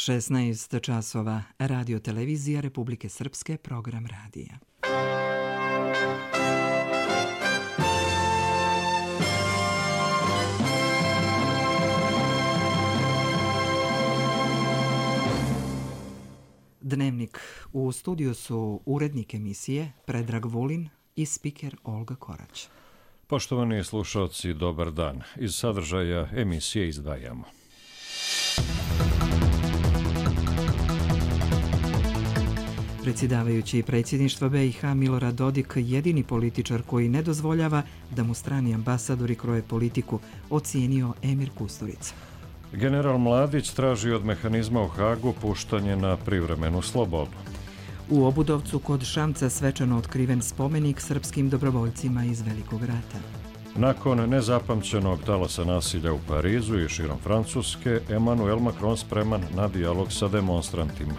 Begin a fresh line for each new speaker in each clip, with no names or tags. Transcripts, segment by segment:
16 časova. Radio televizija Republike Srpske, program radija. Dnevnik. U studiju su urednik emisije Predrag Vulin i spiker Olga Korać.
Poštovani slušalci, dobar dan. Iz sadržaja emisije izdvajamo.
Predsjedavajući predsjedništva BiH Milorad Dodik, jedini političar koji ne dozvoljava da mu strani ambasadori kroje politiku, ocijenio Emir Kusturica.
General Mladić traži od mehanizma u Hagu puštanje na privremenu slobodu.
U Obudovcu kod Šamca svečano otkriven spomenik srpskim dobrovoljcima iz Velikog rata.
Nakon nezapamćenog talasa nasilja u Parizu i širom Francuske, Emmanuel Macron spreman na dijalog sa demonstrantima.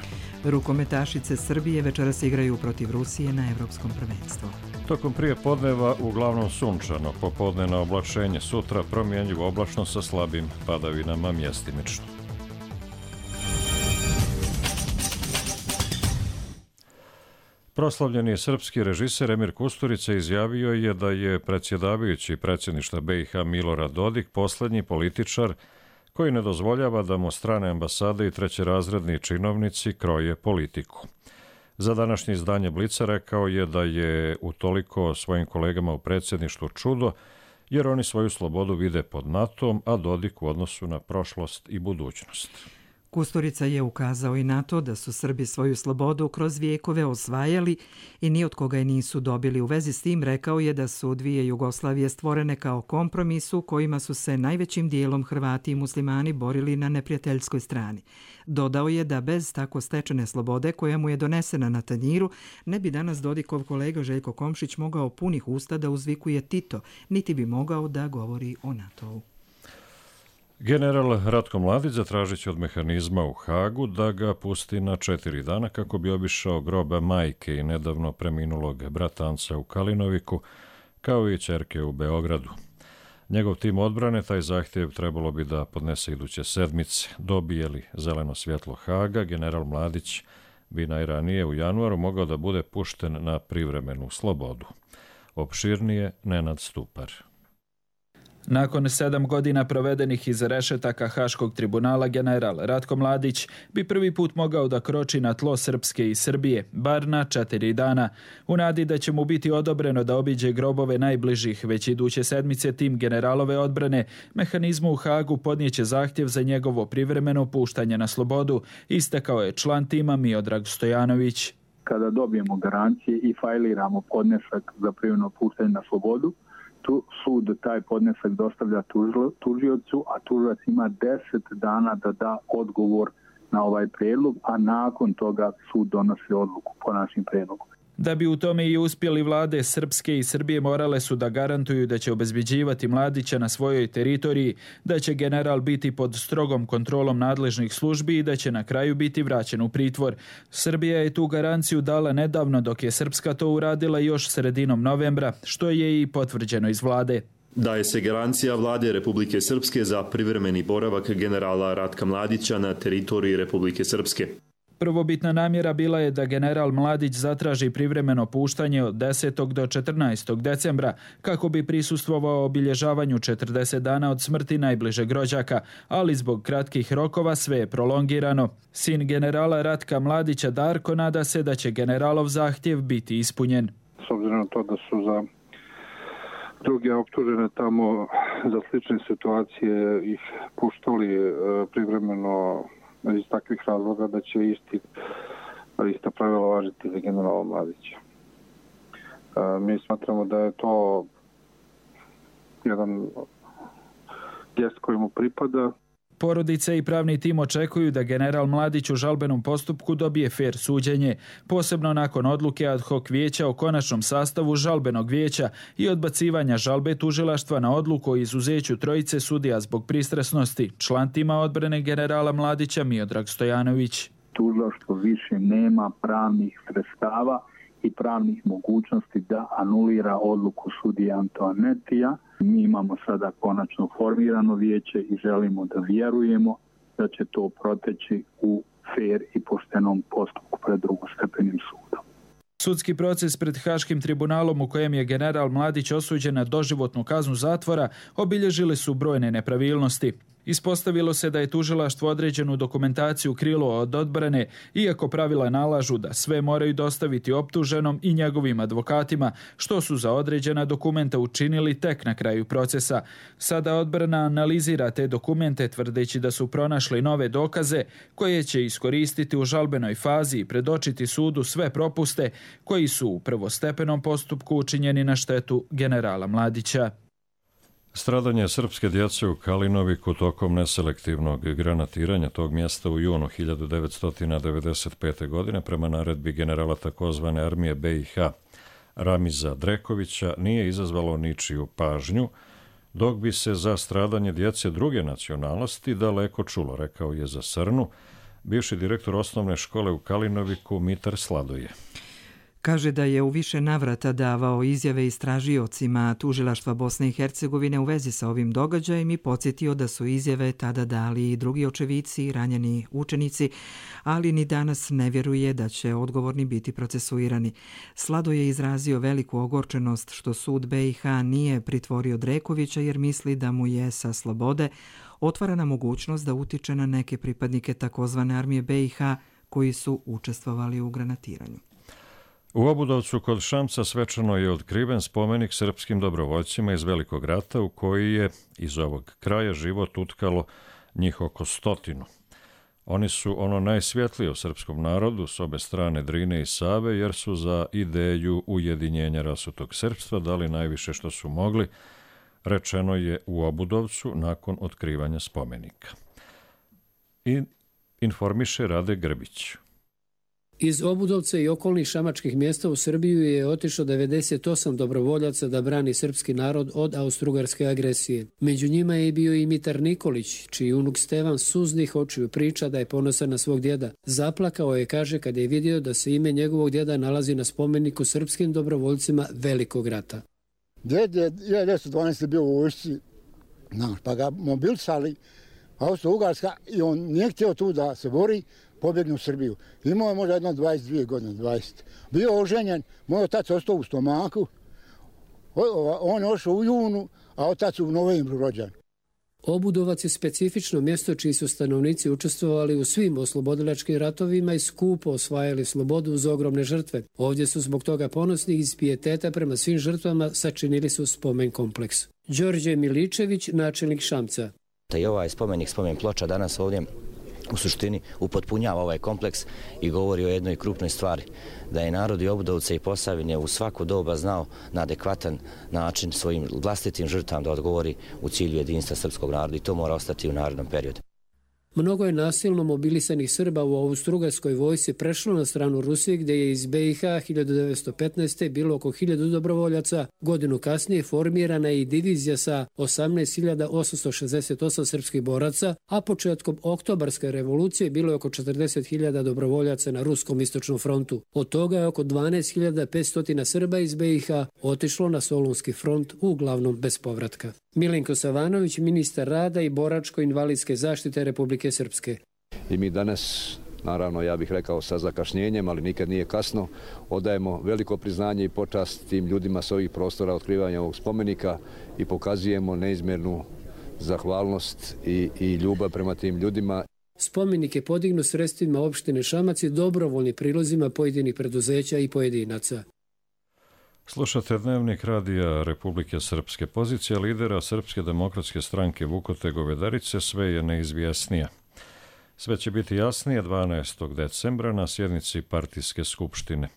Rukometašice Srbije večeras igraju protiv Rusije na Evropskom prvenstvu.
Tokom prije podneva uglavnom sunčano, popodne na oblačenje, sutra promjenjivo oblačno sa slabim padavinama mjestimično. Proslavljeni srpski režiser Emir Kusturica izjavio je da je predsjedavajući predsjedništva BiH Milorad Dodik posljednji političar koji ne dozvoljava da mu strane ambasade i trećerazredni činovnici kroje politiku. Za današnje izdanje Blica rekao je da je utoliko svojim kolegama u predsjedništvu čudo, jer oni svoju slobodu vide pod NATO-om, a Dodik u odnosu na prošlost i budućnost.
Kusturica je ukazao i na to da su Srbi svoju slobodu kroz vijekove osvajali i ni od koga je nisu dobili. U vezi s tim rekao je da su dvije Jugoslavije stvorene kao kompromis u kojima su se najvećim dijelom Hrvati i muslimani borili na neprijateljskoj strani. Dodao je da bez tako stečene slobode koja mu je donesena na tanjiru ne bi danas Dodikov kolega Željko Komšić mogao punih usta da uzvikuje Tito, niti bi mogao da govori o NATO-u.
General Ratko Mladić zatražit će od mehanizma u Hagu da ga pusti na 4 dana kako bi obišao groba majke i nedavno preminulog bratanca u Kalinoviku, kao i ćerke u Beogradu. Njegov tim odbrane taj zahtjev trebalo bi da podnese iduće sedmice. Dobije li zeleno svjetlo Haga, general Mladić bi najranije u januaru mogao da bude pušten na privremenu slobodu. Opširnije Nenad Stupar.
Nakon 7 godina provedenih iza rešetaka Haškog tribunala, general Ratko Mladić bi prvi put mogao da kroči na tlo Srpske i Srbije, bar na 4 dana. U nadi da će mu biti odobreno da obiđe grobove najbližih, već iduće sedmice tim generalove odbrane, mehanizmu u Hagu podnijeće zahtjev za njegovo privremeno puštanje na slobodu, istakao je član tima Miodrag Stojanović.
Kada dobijemo garancije i fajliramo podnesak za privremeno puštanje na slobodu, sud taj podnesak dostavlja tužiocu, a tužilac ima 10 dana da da odgovor na ovaj prijedlog, a nakon toga sud donosi odluku po našim prijedlogom.
Da bi u tome i uspjeli, vlade Srpske i Srbije morale su da garantuju da će obezbeđivati Mladića na svojoj teritoriji, da će general biti pod strogom kontrolom nadležnih službi i da će na kraju biti vraćen u pritvor. Srbija je tu garanciju dala nedavno, dok je Srpska to uradila još sredinom novembra, što je i potvrđeno iz vlade.
Daje se garancija vlade Republike Srpske za privremeni boravak generala Ratka Mladića na teritoriji Republike Srpske.
Prvobitna namjera bila je da general Mladić zatraži privremeno puštanje od 10. do 14. decembra kako bi prisustvovao obilježavanju 40 dana od smrti najbližeg rođaka, ali zbog kratkih rokova sve je prolongirano. Sin generala Ratka Mladića Darko nada se da će generalov zahtjev biti ispunjen.
S obzirom na to da su za druge optužene tamo za slične situacije ih puštali privremeno iz takvih razloga, da će ista pravila važiti za generala Mladića. Mi smatramo da je to jedan gest koji mu pripada.
Porodice i pravni tim očekuju da general Mladić u žalbenom postupku dobije fer suđenje, posebno nakon odluke ad hoc vijeća o konačnom sastavu žalbenog vijeća i odbacivanja žalbe tužilaštva na odluku o izuzeću trojice sudija zbog pristrasnosti. Član tima odbrane generala Mladića Miodrag Stojanović.
Tužilaštvo više nema pravnih sredstava i pravnih mogućnosti da anulira odluku sudije Antoanetija. Mi imamo sada konačno formirano vijeće i želimo da vjerujemo da će to proteći u fair i poštenom postupku pred drugostepenim sudom.
Sudski proces pred Haškim tribunalom u kojem je general Mladić osuđen na doživotnu kaznu zatvora obilježili su brojne nepravilnosti. Ispostavilo se da je tužilaštvo određenu dokumentaciju krilo od odbrane, iako pravila nalažu da sve moraju dostaviti optuženom i njegovim advokatima, što su za određena dokumenta učinili tek na kraju procesa. Sada odbrana analizira te dokumente tvrdeći da su pronašli nove dokaze koje će iskoristiti u žalbenoj fazi i predočiti sudu sve propuste koji su u prvostepenom postupku učinjeni na štetu generala Mladića.
Stradanje srpske djece u Kalinoviku tokom neselektivnog granatiranja tog mjesta u junu 1995. godine prema naredbi generala takozvane armije BiH Ramiza Drekovića nije izazvalo ničiju pažnju, dok bi se za stradanje djece druge nacionalnosti daleko čulo, rekao je za Srnu bivši direktor osnovne škole u Kalinoviku Mitar Sladoje.
Kaže da je u više navrata davao izjave istražiocima tužilaštva Bosne i Hercegovine u vezi sa ovim događajem i podsjetio da su izjave tada dali i drugi očevici i ranjeni učenici, ali ni danas ne vjeruje da će odgovorni biti procesuirani. Slado je izrazio veliku ogorčenost što sud BiH nije pritvorio Drekovića jer misli da mu je sa slobode otvarana mogućnost da utiče na neke pripadnike takozvane armije BiH koji su učestvovali u granatiranju.
U Obudovcu kod Šamca svečano je otkriven spomenik srpskim dobrovoljcima iz Velikog rata u koji je iz ovog kraja život utkalo njih oko 100. Oni su ono najsvjetlije u srpskom narodu s obe strane Drine i Save jer su za ideju ujedinjenja rasutog srpstva dali najviše što su mogli, rečeno je u Obudovcu nakon otkrivanja spomenika. I informiše Rade Grbić.
Iz Obudovca i okolnih šamačkih mjesta u Srbiju je otišlo 98 dobrovoljaca da brani srpski narod od austrougarske agresije. Među njima je bio i Mitar Nikolić, čiji unuk Stevan suznih očiju priča da je ponosan na svog djeda. Zaplakao je, kaže, kad je vidio da se ime njegovog djeda nalazi na spomeniku srpskim dobrovoljcima Velikog rata.
Djed je 1912. bio u vojsci, pa ga mobilisali Austro-Ugarska i on nije htio tu da se bori, pobjegne u Srbiju. Imao je možda jedno 22 godine, 20. Bio oženjen, moj otac ostao u stomaku, on je ošao u junu, a otac u novembru rođen.
Obudovac je specifično mjesto čiji su stanovnici učestvovali u svim oslobodilačkim ratovima i skupo osvajali slobodu uz ogromne žrtve. Ovdje su zbog toga ponosni iz pijeteta prema svim žrtvama sačinili su spomen kompleks. Đorđe Miličević, načelnik Šamca.
I ovaj spomen ploča danas ovdje u suštini upotpunjava ovaj kompleks i govori o jednoj krupnoj stvari, da je narod i Obudovca i Posavine u svako doba znao na adekvatan način svojim vlastitim žrtvama da odgovori u cilju jedinstva srpskog naroda i to mora ostati u narednom periodu.
Mnogo je nasilno mobilisanih Srba u austrougarskoj vojsci prešlo na stranu Rusije, gdje je iz BiH 1915. bilo oko 1000 dobrovoljaca. Godinu kasnije formirana je i divizija sa 18.868 srpskih boraca, a početkom oktobarske revolucije bilo je oko 40.000 dobrovoljaca na Ruskom istočnom frontu. Od toga je oko 12.500 Srba iz BiH otišlo na Solunski front, uglavnom bez povratka. Milenko Savanović, ministar rada i boračko-invalidske zaštite Republike Srpske.
I mi danas, naravno ja bih rekao sa zakašnjenjem, ali nikad nije kasno, odajemo veliko priznanje i počast tim ljudima s ovih prostora otkrivanja ovog spomenika i pokazujemo neizmjernu zahvalnost i ljubav prema tim ljudima.
Spomenik je podignut sredstvima opštine Šamac i dobrovoljnim prilozima pojedinih preduzeća i pojedinaca.
Slušate dnevnik radija Republike Srpske. Pozicija lidera Srpske demokratske stranke Vukote Govedarice sve je neizvjesnija. Sve će biti jasnije 12. decembra na sjednici partijske skupštine.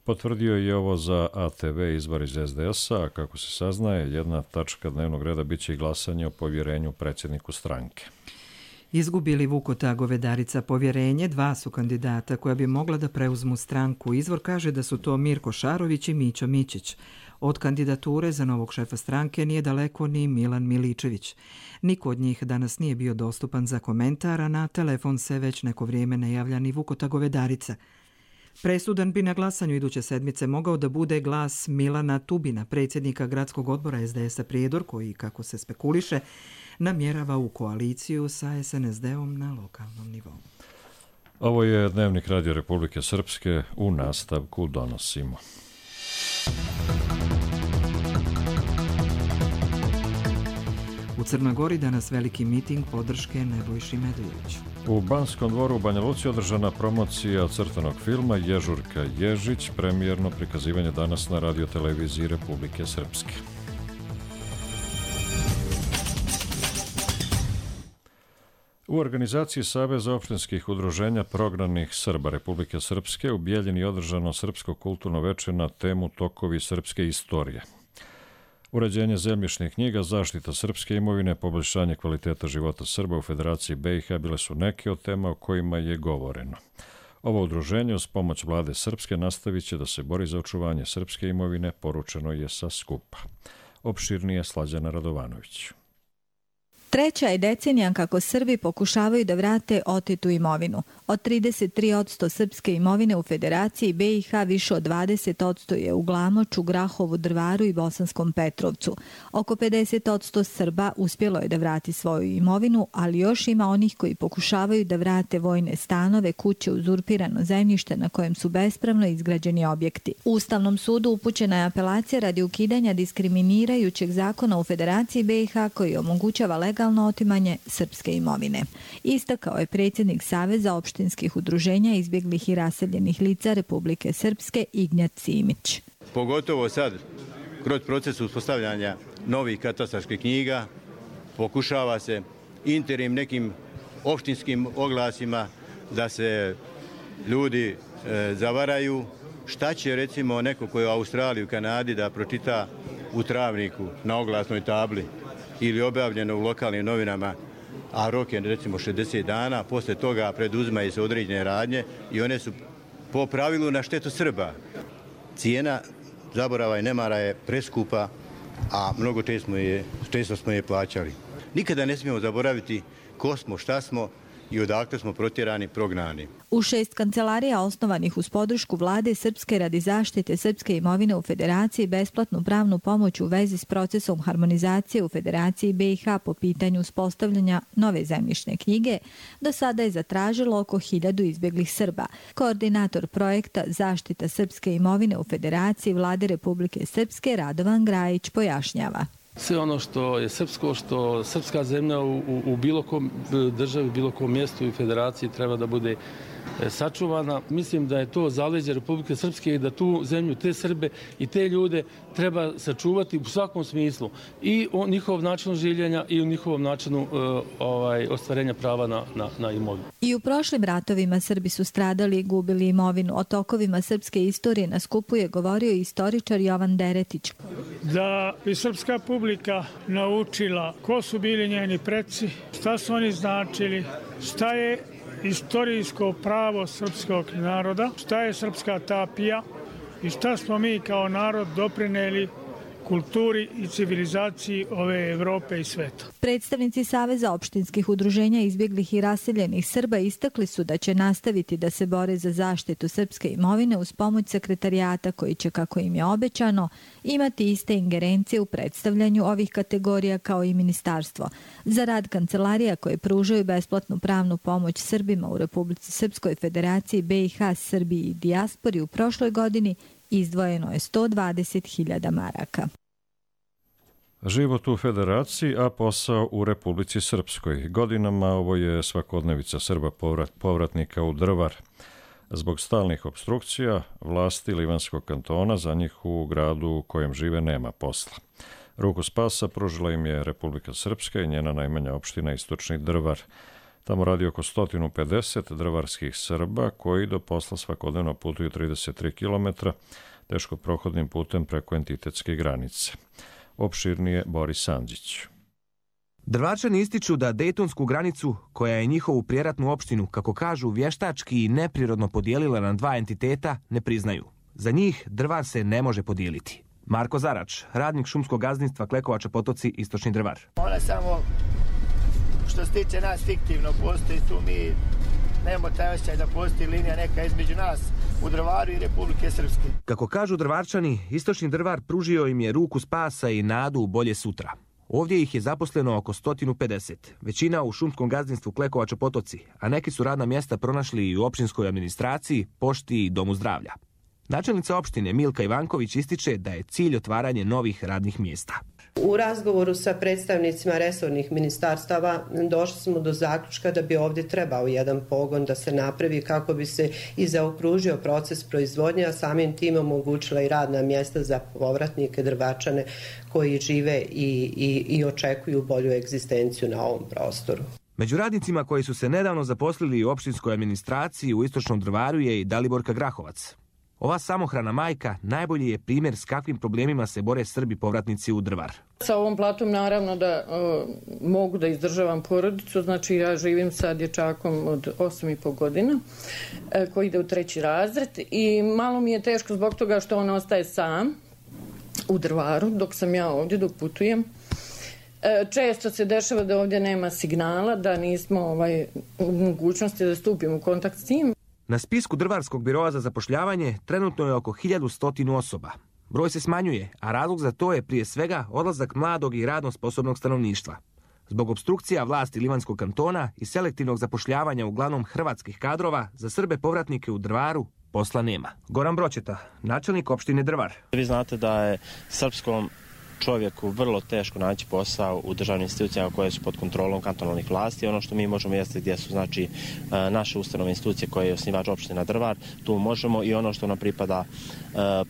Potvrdio je ovo za ATV izbor iz SDS-a, a kako se saznaje, jedna tačka dnevnog reda biće i glasanje o povjerenju predsjedniku stranke.
Izgubili Vukota Govedarica povjerenje, dva su kandidata koja bi mogla da preuzmu stranku. Izvor kaže da su to Mirko Šarović i Mićo Mićić. Od kandidature za novog šefa stranke nije daleko ni Milan Miličević. Niko od njih danas nije bio dostupan za komentar, a na telefon se već neko vrijeme ne javlja ni Vukota Govedarica. Presudan bi na glasanju iduće sedmice mogao da bude glas Milana Tubina, predsjednika gradskog odbora SDS-a Prijedor, koji, kako se spekuliše, namjerava u koaliciju sa SNSD-om na lokalnom nivou.
Ovo je Dnevnik Radio Republike Srpske, u nastavku donosimo.
U Crnoj Gori danas veliki miting podrške Nebojši Medvedoviću.
U Banskom dvoru u Banja Luci održana promocija crtanog filma Ježurka Ježić, premijerno prikazivanje danas na radioteleviziji Republike Srpske. U organizaciji Saveza opštinskih udruženja prognanih Srba Republike Srpske u Bijeljini održano srpsko kulturno veče na temu Tokovi srpske istorije. Uređenje zemljišnih knjiga, zaštita srpske imovine, poboljšanje kvaliteta života Srba u Federaciji BiH bile su neke od tema o kojima je govoreno. Ovo udruženje uz pomoć vlade Srpske nastavit će da se bori za očuvanje srpske imovine, poručeno je sa skupa. Opširnije Slađana Radovanović.
Treća je decenija kako Srbi pokušavaju da vrate otetu imovinu. Od 33% srpske imovine u Federaciji BiH više od 20% je u Glamoču, Grahovu, Drvaru i Bosanskom Petrovcu. Oko 50% Srba uspjelo je da vrati svoju imovinu, ali još ima onih koji pokušavaju da vrate vojne stanove, kuće, uzurpirano zemljište na kojem su bespravno izgrađeni objekti. U Ustavnom sudu upućena je apelacija radi ukidanja diskriminirajućeg zakona u Federaciji BiH koji omogućava legalno otimanje srpske imovine. Istakao je predsjednik Saveza opštinskih udruženja izbjeglih i raseljenih lica Republike Srpske Ignjat Simić.
Pogotovo sad, kroz proces uspostavljanja novih katastarskih knjiga, pokušava se interim nekim opštinskim oglasima da se ljudi zavaraju. Šta će recimo neko koji je u Australiji, u Kanadi da pročita u travniku na oglasnoj tabli ili objavljeno u lokalnim novinama, a rok je recimo 60 dana, posle toga preduzimaju se određene radnje i one su po pravilu na štetu Srba. Cijena zaborava i nemara je preskupa, a mnogo često smo je plaćali. Nikada ne smijemo zaboraviti ko smo, šta smo i odakle smo protjerani, prognani.
U 6 kancelarija osnovanih uz podršku vlade Srpske radi zaštite srpske imovine u Federaciji besplatnu pravnu pomoć u vezi s procesom harmonizacije u Federaciji BiH po pitanju uspostavljanja nove zemljišne knjige, do sada je zatražilo oko 1000 izbjeglih Srba. Koordinator projekta Zaštita srpske imovine u Federaciji vlade Republike Srpske Radovan Grajić pojašnjava.
Sve ono što je srpsko, što srpska zemlja u bilo kom državi, bilo kom mjestu i federaciji treba da bude sačuvana. Mislim da je to zaleđe Republike Srpske i da tu zemlju, te Srbe i te ljude treba sačuvati u svakom smislu. I o njihovom načinu življenja i u njihovom načinu ostvarenja prava na imovinu.
I u prošlim ratovima Srbi su stradali i gubili imovinu. O tokovima srpske istorije na skupu je govorio istoričar Jovan Deretić.
Da bi srpska publika naučila ko su bili njeni preci, šta su oni značili, šta je istorijsko pravo srpskog naroda, šta je srpska tapija i šta smo mi kao narod doprineli kulturi i civilizaciji ove Evrope i sveta.
Predstavnici Saveza opštinskih udruženja izbjeglih i raseljenih Srba istakli su da će nastaviti da se bore za zaštitu srpske imovine uz pomoć sekretarijata koji će, kako im je obećano, imati iste ingerencije u predstavljanju ovih kategorija kao i ministarstvo. Za rad kancelarija koje pružaju besplatnu pravnu pomoć Srbima u Republici Srpskoj, Federaciji BiH, Srbiji i dijaspori u prošloj godini izdvojeno je 120.000 maraka.
Život u Federaciji, a posao u Republici Srpskoj. Godinama ovo je svakodnevica Srba povratnika u Drvar. Zbog stalnih opstrukcija, vlasti Livanskog kantona za njih u gradu u kojem žive nema posla. Ruku spasa pružila im je Republika Srpska i njena najmanja opština Istočni Drvar. Tamo radi oko 150 drvarskih Srba koji do posla svakodnevno putuju 33 km teško prohodnim putem preko entitetske granice. Opširnije Boris Andžić.
Drvarčani ističu da Dejtonsku granicu, koja je njihovu prijeratnu opštinu, kako kažu, vještački i neprirodno podijelila na dva entiteta, ne priznaju. Za njih Drvar se ne može podijeliti. Marko Zarač, radnik šumskog gazdinstva Klekovača Potoci, Istočni Drvar.
Ona samo, što se tiče nas, fiktivno postoji tu, mi nemamo taj osjećaj da postoji linija neka između nas u Drvaru i Republike Srpske.
Kako kažu Drvarčani, Istočni Drvar pružio im je ruku spasa i nadu u bolje sutra. Ovdje ih je zaposleno oko 150, većina u šumskom gazdinstvu Klekovača Potoci, a neki su radna mjesta pronašli i u općinskoj administraciji, pošti i domu zdravlja. Načelnica opštine Milka Ivanković ističe da je cilj otvaranje novih radnih mjesta.
U razgovoru sa predstavnicima resornih ministarstava došli smo do zaključka da bi ovdje trebao jedan pogon da se napravi kako bi se i zaokružio proces proizvodnje, a samim tim omogućila i radna mjesta za povratnike drvačane koji žive i očekuju bolju egzistenciju na ovom prostoru.
Među radnicima koji su se nedavno zaposlili u opštinskoj administraciji u Istočnom Drvaru je i Daliborka Grahovac. Ova samohrana majka najbolji je primjer s kakvim problemima se bore Srbi povratnici u Drvar.
Sa ovom platom naravno da mogu da izdržavam porodicu, znači ja živim sa dječakom od 8,5 godina koji ide u 3. razred i malo mi je teško zbog toga što on ostaje sam u Drvaru dok sam ja ovdje, dok putujem. Često se dešava da ovdje nema signala, da nismo u mogućnosti da stupimo u kontakt s njim.
Na spisku Drvarskog biroa za zapošljavanje trenutno je oko 1100 osoba. Broj se smanjuje, a razlog za to je prije svega odlazak mladog i radno sposobnog stanovništva. Zbog opstrukcija vlasti Livanskog kantona i selektivnog zapošljavanja uglavnom hrvatskih kadrova, za Srbe povratnike u Drvaru posla nema. Goran Bročeta, načelnik opštine Drvar.
Vi znate da je srpskom čovjeku vrlo teško naći posao u državnim institucijama koje su pod kontrolom kantonalnih vlasti. Ono što mi možemo jeste gdje su znači naše ustanove institucije koje je osnivač opština Drvar, tu možemo i ono što nam pripada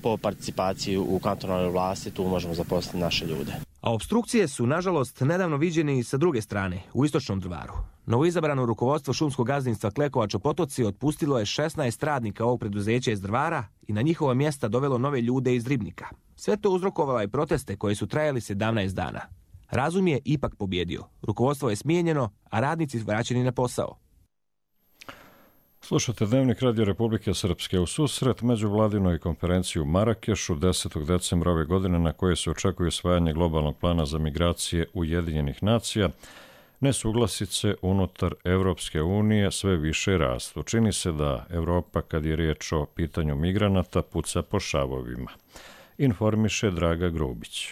po participaciji u kantonalnoj vlasti, tu možemo zaposliti naše ljude.
A opstrukcije su, nažalost, nedavno viđene i sa druge strane, u Istočnom Drvaru. Novoizabrano rukovodstvo šumskog gazdinstva Klekovača Potoci otpustilo je 16 radnika ovog preduzeća iz Drvara i na njihova mjesta dovelo nove ljude iz Ribnika. Sve to uzrokovalo je proteste koji su trajali 17 dana. Razum je ipak pobjedio. Rukovodstvo je smijenjeno, a radnici vraćeni na posao.
Slušate Dnevnik Radio Republike Srpske. U susret međuvladinoj konferenciji u Marakešu 10. decembra ove godine, na koje se očekuje usvajanje globalnog plana za migracije Ujedinjenih nacija, nesuglasice unutar Evropske unije sve više rastu. Čini se da Evropa, kad je riječ o pitanju migranata, puca po šavovima. Informiše Draga Grubić.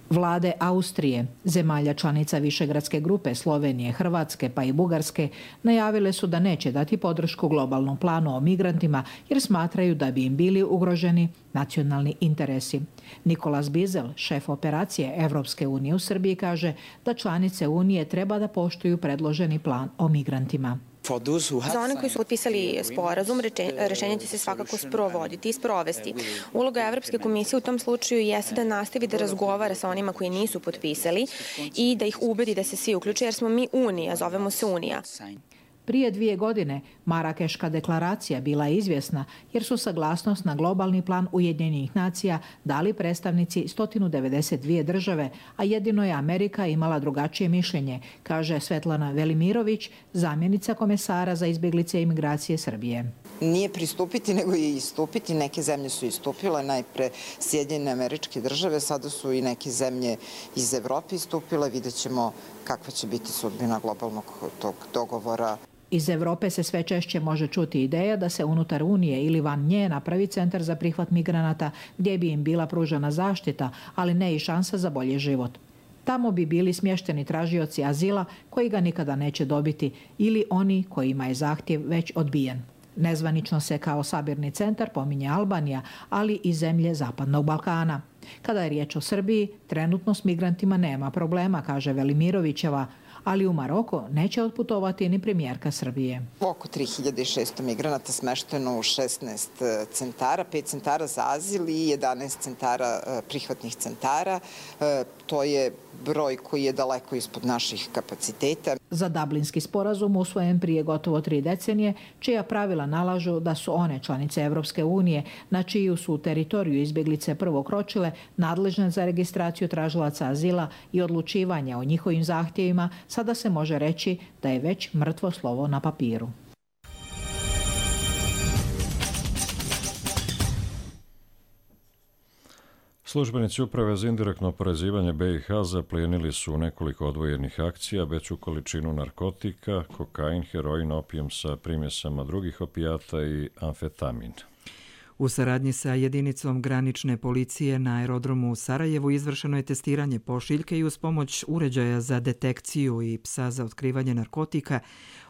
Vlade Austrije, zemalja članica Višegradske grupe, Slovenije, Hrvatske pa i Bugarske najavile su da neće dati podršku globalnom planu o migrantima jer smatraju da bi im bili ugroženi nacionalni interesi. Nikolas Bizel, šef operacije Evropske unije u Srbiji, kaže da članice Unije treba da poštuju predloženi plan o migrantima.
Za one koji su potpisali sporazum, rešenje će se svakako sprovoditi i sprovesti. Uloga Evropske komisije u tom slučaju jeste da nastavi da razgovara sa onima koji nisu potpisali i da ih ubedi da se svi uključe, jer smo mi Unija, zovemo se Unija.
Prije 2 godine Marakeška deklaracija bila je izvjesna jer su saglasnost na globalni plan Ujedinjenih nacija dali predstavnici 192 države, a jedino je Amerika imala drugačije mišljenje, kaže Svetlana Velimirović, zamjenica komesara za izbjeglice i imigracije Srbije.
Nije pristupiti, nego i istupiti. Neke zemlje su istupile, najpre Sjedinjene Američke Države, sada su i neke zemlje iz Evrope istupile. Vidjet ćemo kakva će biti sudbina globalnog tog dogovora.
Iz Evrope se sve češće može čuti ideja da se unutar Unije ili van nje napravi centar za prihvat migranata gdje bi im bila pružena zaštita, ali ne i šansa za bolji život. Tamo bi bili smješteni tražioci azila koji ga nikada neće dobiti ili oni kojima je zahtjev već odbijen. Nezvanično se kao sabirni centar pominje Albanija, ali i zemlje Zapadnog Balkana. Kada je riječ o Srbiji, trenutno s migrantima nema problema, kaže Velimirovićeva, ali u Maroko neće otputovati ni premijerka Srbije.
Oko 3600 migranata smešteno u 16 centara, 5 centara za azil i 11 centara prihvatnih centara. To je broj koji je daleko ispod naših kapaciteta.
Za Dublinski sporazum usvojen prije gotovo 3 decenije, čija pravila nalažu da su one članice Evropske unije, na čiju su teritoriju izbjeglice prvo kročile, nadležne za registraciju tražilaca azila i odlučivanje o njihovim zahtjevima, sada se može reći da je već mrtvo slovo na papiru.
Službenici Uprave za indirektno oporezivanje BiH zaplijenili su nekoliko odvojenih akcija veću količinu narkotika, kokain, heroin, opijum sa primjesama drugih opijata i amfetamin.
U saradnji sa jedinicom granične policije na aerodromu u Sarajevu izvršeno je testiranje pošiljke i uz pomoć uređaja za detekciju i psa za otkrivanje narkotika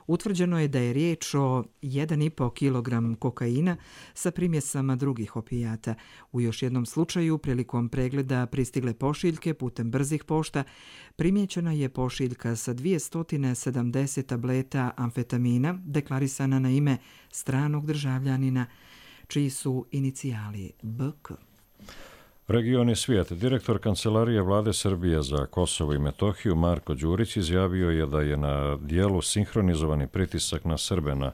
utvrđeno je da je riječ o 1,5 kg kokaina sa primjesama drugih opijata. U još jednom slučaju, prilikom pregleda pristigle pošiljke putem brzih pošta, primijećena je pošiljka sa 270 tableta amfetamina deklarisana na ime stranog državljanina, čiji su inicijali BK.
Region i svijet. Direktor Kancelarije Vlade Srbije za Kosovo i Metohiju Marko Đurić izjavio je da je na dijelu sinhronizovani pritisak na Srbe na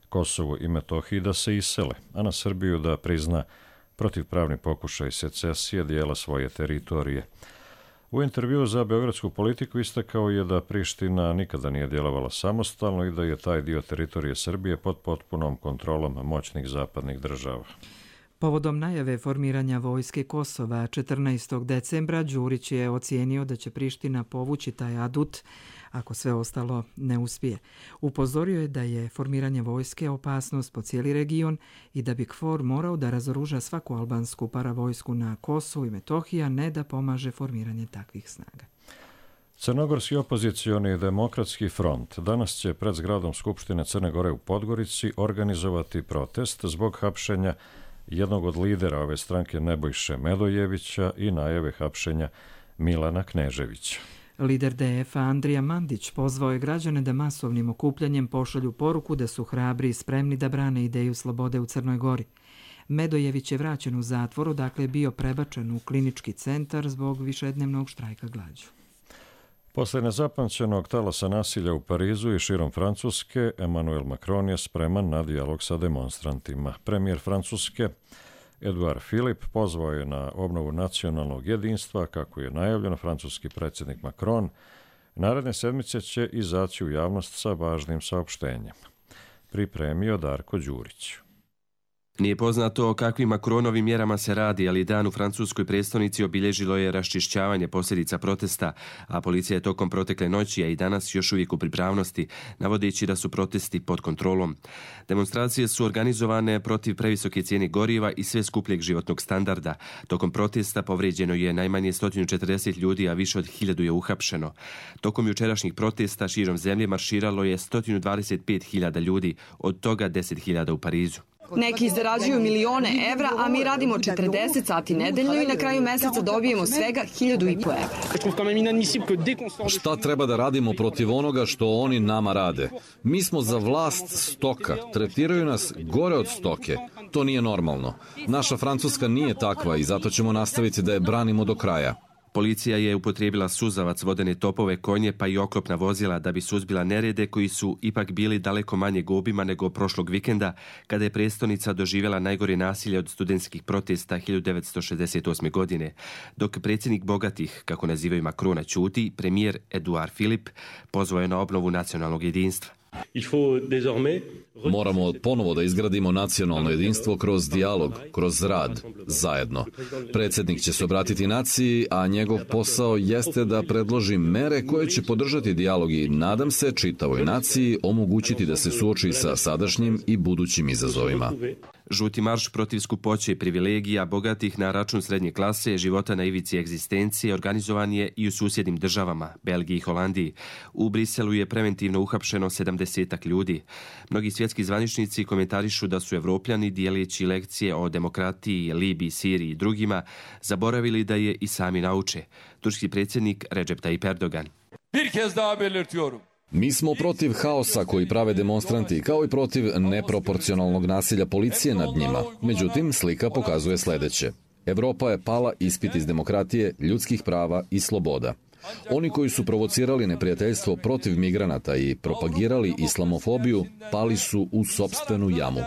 Kosovu i Metohiji da se isele, a na Srbiju da prizna protivpravni pokušaj secesije dijela svoje teritorije. U intervjuu za Beogradsku politiku istakao je da Priština nikada nije djelovala samostalno i da je taj dio teritorije Srbije pod potpunom kontrolom moćnih zapadnih država.
Povodom najave formiranja vojske Kosova 14. decembra, Đurić je ocijenio da će Priština povući taj adut ako sve ostalo ne uspije. Upozorio je da je formiranje vojske opasnost po cijeli region i da bi KFOR morao da razoruža svaku albansku paravojsku na Kosovu i Metohiji, a ne da pomaže formiranje takvih snaga.
Crnogorski opozicioni demokratski front danas će pred zgradom Skupštine Crne Gore u Podgorici organizovati protest zbog hapšenja jednog od lidera ove stranke Nebojše Medojevića i najave hapšenja Milana Kneževića.
Lider DF-a Andrija Mandić pozvao je građane da masovnim okupljanjem pošalju poruku da su hrabri i spremni da brane ideju slobode u Crnoj Gori. Medojević je vraćen u zatvor, odakle je bio prebačen u klinički centar zbog višednevnog štrajka glađu.
Posle nezapamćenog talasa nasilja u Parizu i širom Francuske, Emmanuel Macron je spreman na dijalog sa demonstrantima. Premijer Francuske, Edouard Philippe, pozvao je na obnovu nacionalnog jedinstva, kako je najavljeno. Francuski predsjednik Macron naredne sedmice će izaći u javnost sa važnim saopštenjem. Pripremio Darko Đurić.
Nije poznato o kakvim Macronovim mjerama se radi, ali dan u francuskoj prestonici obilježilo je raščišćavanje posljedica protesta, a policija je tokom protekle noći, a i danas još uvijek u pripravnosti, navodeći da su protesti pod kontrolom. Demonstracije su organizovane protiv previsoke cijene goriva i sve skupljeg životnog standarda. Tokom protesta povrijeđeno je najmanje 140 ljudi, a više od 1000 je uhapšeno. Tokom jučerašnjih protesta širom zemlje marširalo je 125.000 ljudi, od toga 10.000 u Parizu.
Neki zarađuju milione evra, a mi radimo 40 sati nedeljno i na kraju mjeseca dobijemo svega 1.500 evra.
Šta treba da radimo protiv onoga što oni nama rade? Mi smo za vlast stoka, tretiraju nas gore od stoke. To nije normalno. Naša Francuska nije takva i zato ćemo nastaviti da je branimo do kraja.
Policija je upotrijebila suzavac, vodene topove, konje pa i oklopna vozila da bi suzbila nerede koji su ipak bili daleko manje obima nego prošlog vikenda, kada je prestonica doživjela najgore nasilje od studentskih protesta 1968. godine. Dok predsjednik bogatih, kako nazivaju Macrona, ćuti, premijer Edouard Philippe pozvao je na obnovu nacionalnog jedinstva.
Moramo ponovo da izgradimo nacionalno jedinstvo kroz dijalog, kroz rad, zajedno. Predsjednik će se obratiti naciji, a njegov posao jeste da predloži mere koje će podržati dijalog i, nadam se, čitavoj naciji omogućiti da se suoči sa sadašnjim i budućim izazovima.
Žuti marš protiv skupoće i privilegija bogatih na račun srednje klase, života na ivici egzistencije, organizovan je i u susjednim državama, Belgiji i Holandiji. U Briselu je preventivno uhapšeno 70 ljudi. Mnogi svjetski zvaničnici komentarišu da su Evropljani, dijeleći lekcije o demokratiji, Libiji, Siriji i drugima, zaboravili da je i sami nauče. Turski predsjednik Recep Tayyip Erdogan.
Mi smo protiv haosa koji prave demonstranti, kao i protiv neproporcionalnog nasilja policije nad njima. Međutim, slika pokazuje sljedeće. Evropa je pala ispit iz demokratije, ljudskih prava i sloboda. Oni koji su provocirali neprijateljstvo protiv migranata i propagirali islamofobiju, pali su u sopstvenu jamu.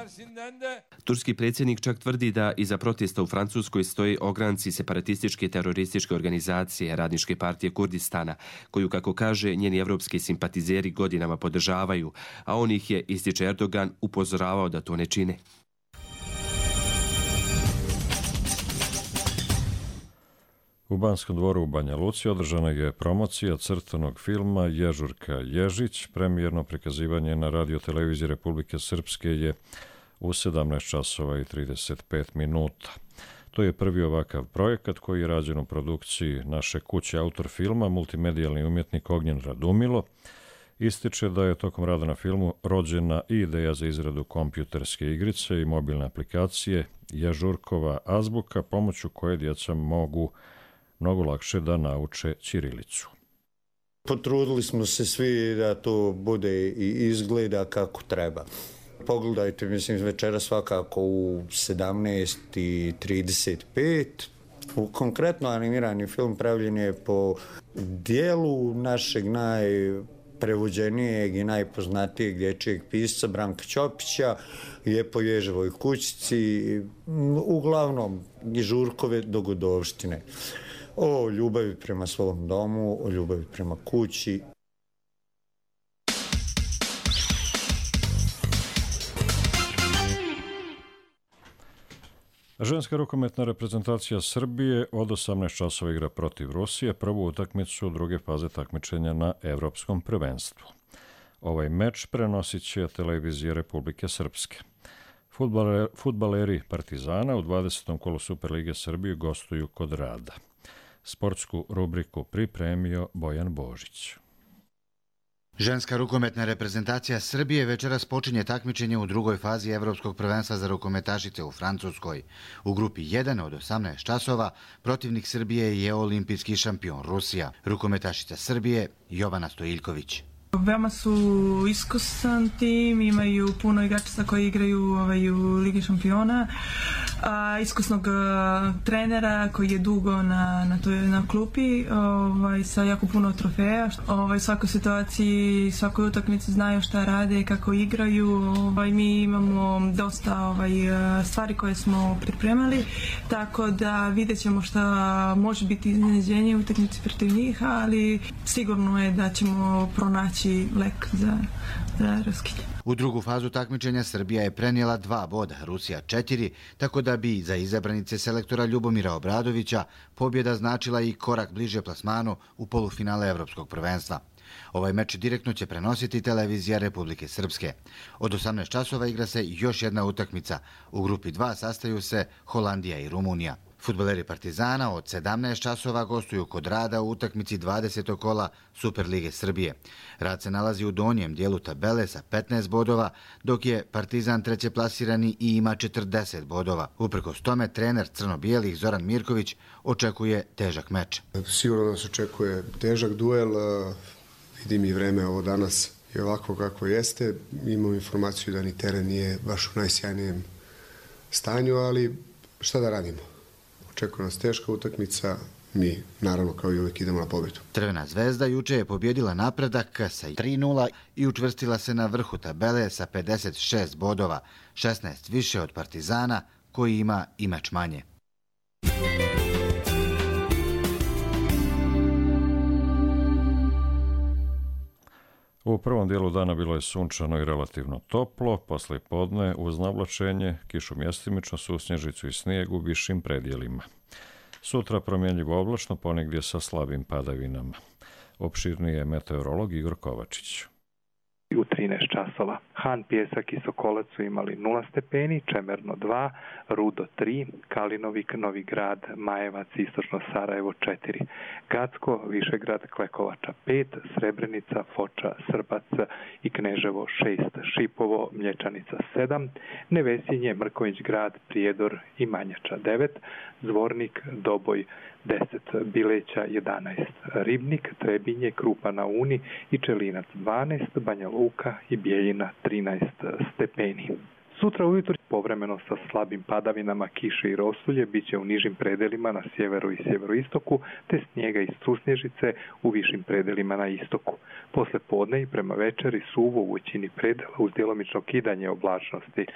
Turski predsjednik čak tvrdi da iza protesta u Francuskoj stoje ogranci separatističke terorističke organizacije Radničke partije Kurdistana, koju, kako kaže, njeni evropski simpatizeri godinama podržavaju, a on ih je, ističe Erdogan, upozoravao da to ne čine.
U Banskom dvoru u Banja Luci održana je promocija crtanog filma Ježurka Ježić. Premijerno prikazivanje na Radio televiziji Republike Srpske je u 17 časova i 35 minuta. To je prvi ovakav projekat koji je rađen u produkciji naše kuće. Autor filma, multimedijalni umjetnik Ognjen Radumilo, ističe da je tokom rada na filmu rođena i ideja za izradu kompjuterske igrice i mobilne aplikacije Jažurkova azbuka, pomoću koje djeca mogu mnogo lakše da nauče ćirilicu.
Potrudili smo se svi da to bude i izgleda kako treba. Pogledajte, mislim, večera svakako u 17:35. Konkretno animirani film pravljen je po dijelu našeg najprevođenijeg i najpoznatijeg dječjeg pisca Branka Ćopića, je po Ježevoj kućici, uglavnom Žurkove dogodovštine. O ljubavi prema svom domu, o ljubavi prema kući.
Ženska rukometna reprezentacija Srbije od 18 časova igra protiv Rusije, prvu utakmicu druge faze takmičenja na Evropskom prvenstvu. Ovaj meč prenosit će televizija Republike Srpske. Fudbaleri Partizana u 20. kolu Superlige Srbije gostuju kod Rada. Sportsku rubriku pripremio Bojan Božić.
Ženska rukometna reprezentacija Srbije večeras počinje takmičenje u drugoj fazi Evropskog prvenstva za rukometašice u Francuskoj. U grupi 1 od 18 časova protivnik Srbije je olimpijski šampion Rusija. Rukometašica Srbije Jovana Stojiljković.
Veoma su iskusan tim, imaju puno igračica koji igraju u Ligi šampiona, iskusnog trenera koji je dugo na klupi, sa jako puno trofeja. U svakoj situaciji, svakoj utakmici znaju šta rade, kako igraju. Mi imamo dosta stvari koje smo pripremali, tako da vidjet ćemo šta može biti iznenađenje u utakmici protiv njih, ali sigurno je da ćemo pronaći lek za raskid.
U drugu fazu takmičenja Srbija je prenijela 2 boda, Rusija 4, tako da bi za izabranice selektora Ljubomira Obradovića pobjeda značila i korak bliže plasmanu u polufinale Evropskog prvenstva. Ovaj meč direktno će prenositi televizija Republike Srpske. Od 18 časova igra se još jedna utakmica. U grupi 2 sastaju se Holandija i Rumunija. Fudbaleri Partizana od 17 časova gostuju kod Rada u utakmici 20. kola Superlige Srbije. Rad se nalazi u donjem dijelu tabele sa 15 bodova, dok je Partizan treće plasirani i ima 40 bodova. Uprkos tome, trener crno-bijelih Zoran Mirković očekuje težak meč.
Sigurno nas očekuje težak duel. Vidim i vreme ovo danas je ovako kako jeste. Imam informaciju da ni teren nije baš u najsjajnijem stanju, ali šta da radimo? Očekuje nas teška utakmica, mi naravno kao i uvijek idemo na pobjedu.
Crvena zvezda juče je pobjedila Napredak sa 3:0 i učvrstila se na vrhu tabele sa 56 bodova, 16 više od Partizana koji ima i meč manje.
U prvom dijelu dana bilo je sunčano i relativno toplo, posle podne uz navlačenje, kišu mjestimično, susnježicu i snijeg u višim predjelima. Sutra promjenljivo oblačno, ponegdje sa slabim padavinama. Opširniji je meteorolog Igor Kovačić.
U 13 časova. Han, Pjesak i Sokolac su imali 0 stepeni, Čemerno 2, Rudo 3, Kalinovik, Novi Grad, Majevac, Istočno Sarajevo 4, Gacko, Višegrad, Klekovača 5, Srebrenica, Foča, Srbac i Kneževo 6, Šipovo, Mlječanica 7, Nevesinje, Mrković Grad, Prijedor i Manjača 9, Zvornik, Doboj 10, Bileća 11, Ribnik, Trebinje, Krupa na Uni i Čelinac 12, Banja Luka i Bijeljina 13 stepeni. Sutra ujutro povremeno sa slabim padavinama, kiše i rosulje biće u nižim predelima na sjeveru i sjeveroistoku, te snijega i susnježice u višim predelima na istoku. Posle podne i prema večeri suvo u većini predela uz djelomično kidanje oblačnosti.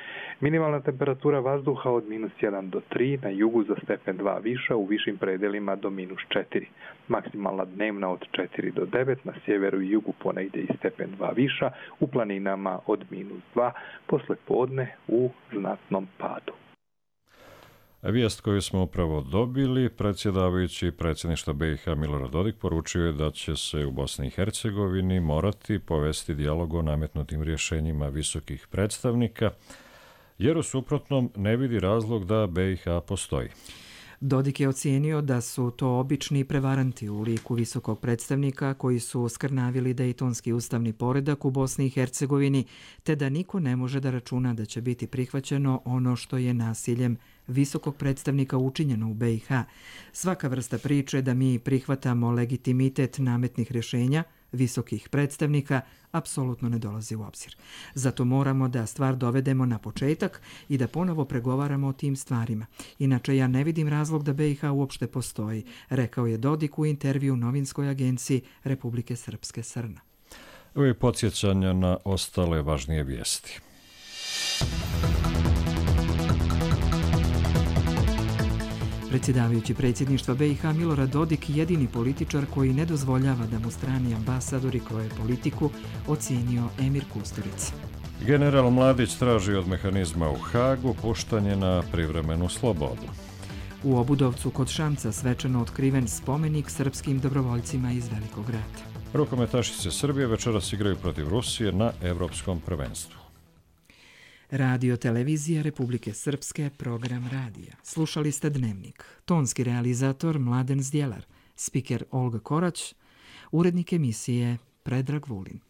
Minimalna temperatura vazduha od -1 do 3, na jugu za stepen 2 viša, u višim predelima do -4. Maksimalna dnevna od 4 do 9, na sjeveru i jugu ponegdje i stepen 2 viša, u planinama od -2, posle podne u znatnom padu.
Vijest koju smo upravo dobili, predsjedavajući predsjedništva BiH Milorad Dodik poručio je da će se u Bosni i Hercegovini morati povesti dijalog o nametnutim rješenjima visokih predstavnika jer u suprotnom ne vidi razlog da BiH postoji.
Dodik je ocijenio da su to obični prevaranti u liku visokog predstavnika koji su skrnavili dejtonski ustavni poredak u Bosni i Hercegovini, te da niko ne može da računa da će biti prihvaćeno ono što je nasiljem visokog predstavnika učinjeno u BiH. Svaka vrsta priče da mi prihvatamo legitimitet nametnih rješenja visokih predstavnika apsolutno ne dolazi u obzir. Zato moramo da stvar dovedemo na početak i da ponovo pregovaramo o tim stvarima. Inače, ja ne vidim razlog da BiH uopšte postoji, rekao je Dodik u intervju novinskoj agenciji Republike Srpske Srna.
Ovo je podsjećanja na ostale važnije vijesti.
Predsjedavajući predsjedništva BiH Milorad Dodik, jedini političar koji ne dozvoljava da mu strani ambasadori kroje politiku, ocijenio Emir Kusturica.
General Mladić traži od mehanizma u Hagu puštanje na privremenu slobodu.
U Obudovcu kod Šamca svečano otkriven spomenik srpskim dobrovoljcima iz Velikog rata.
Rukometašice Srbije večeras igraju protiv Rusije na Evropskom prvenstvu.
Radio televizija Republike Srpske, program radija. Slušali ste Dnevnik. Tonski realizator Mladen Zdjelar, spiker Olga Korać, urednik emisije Predrag Vulin.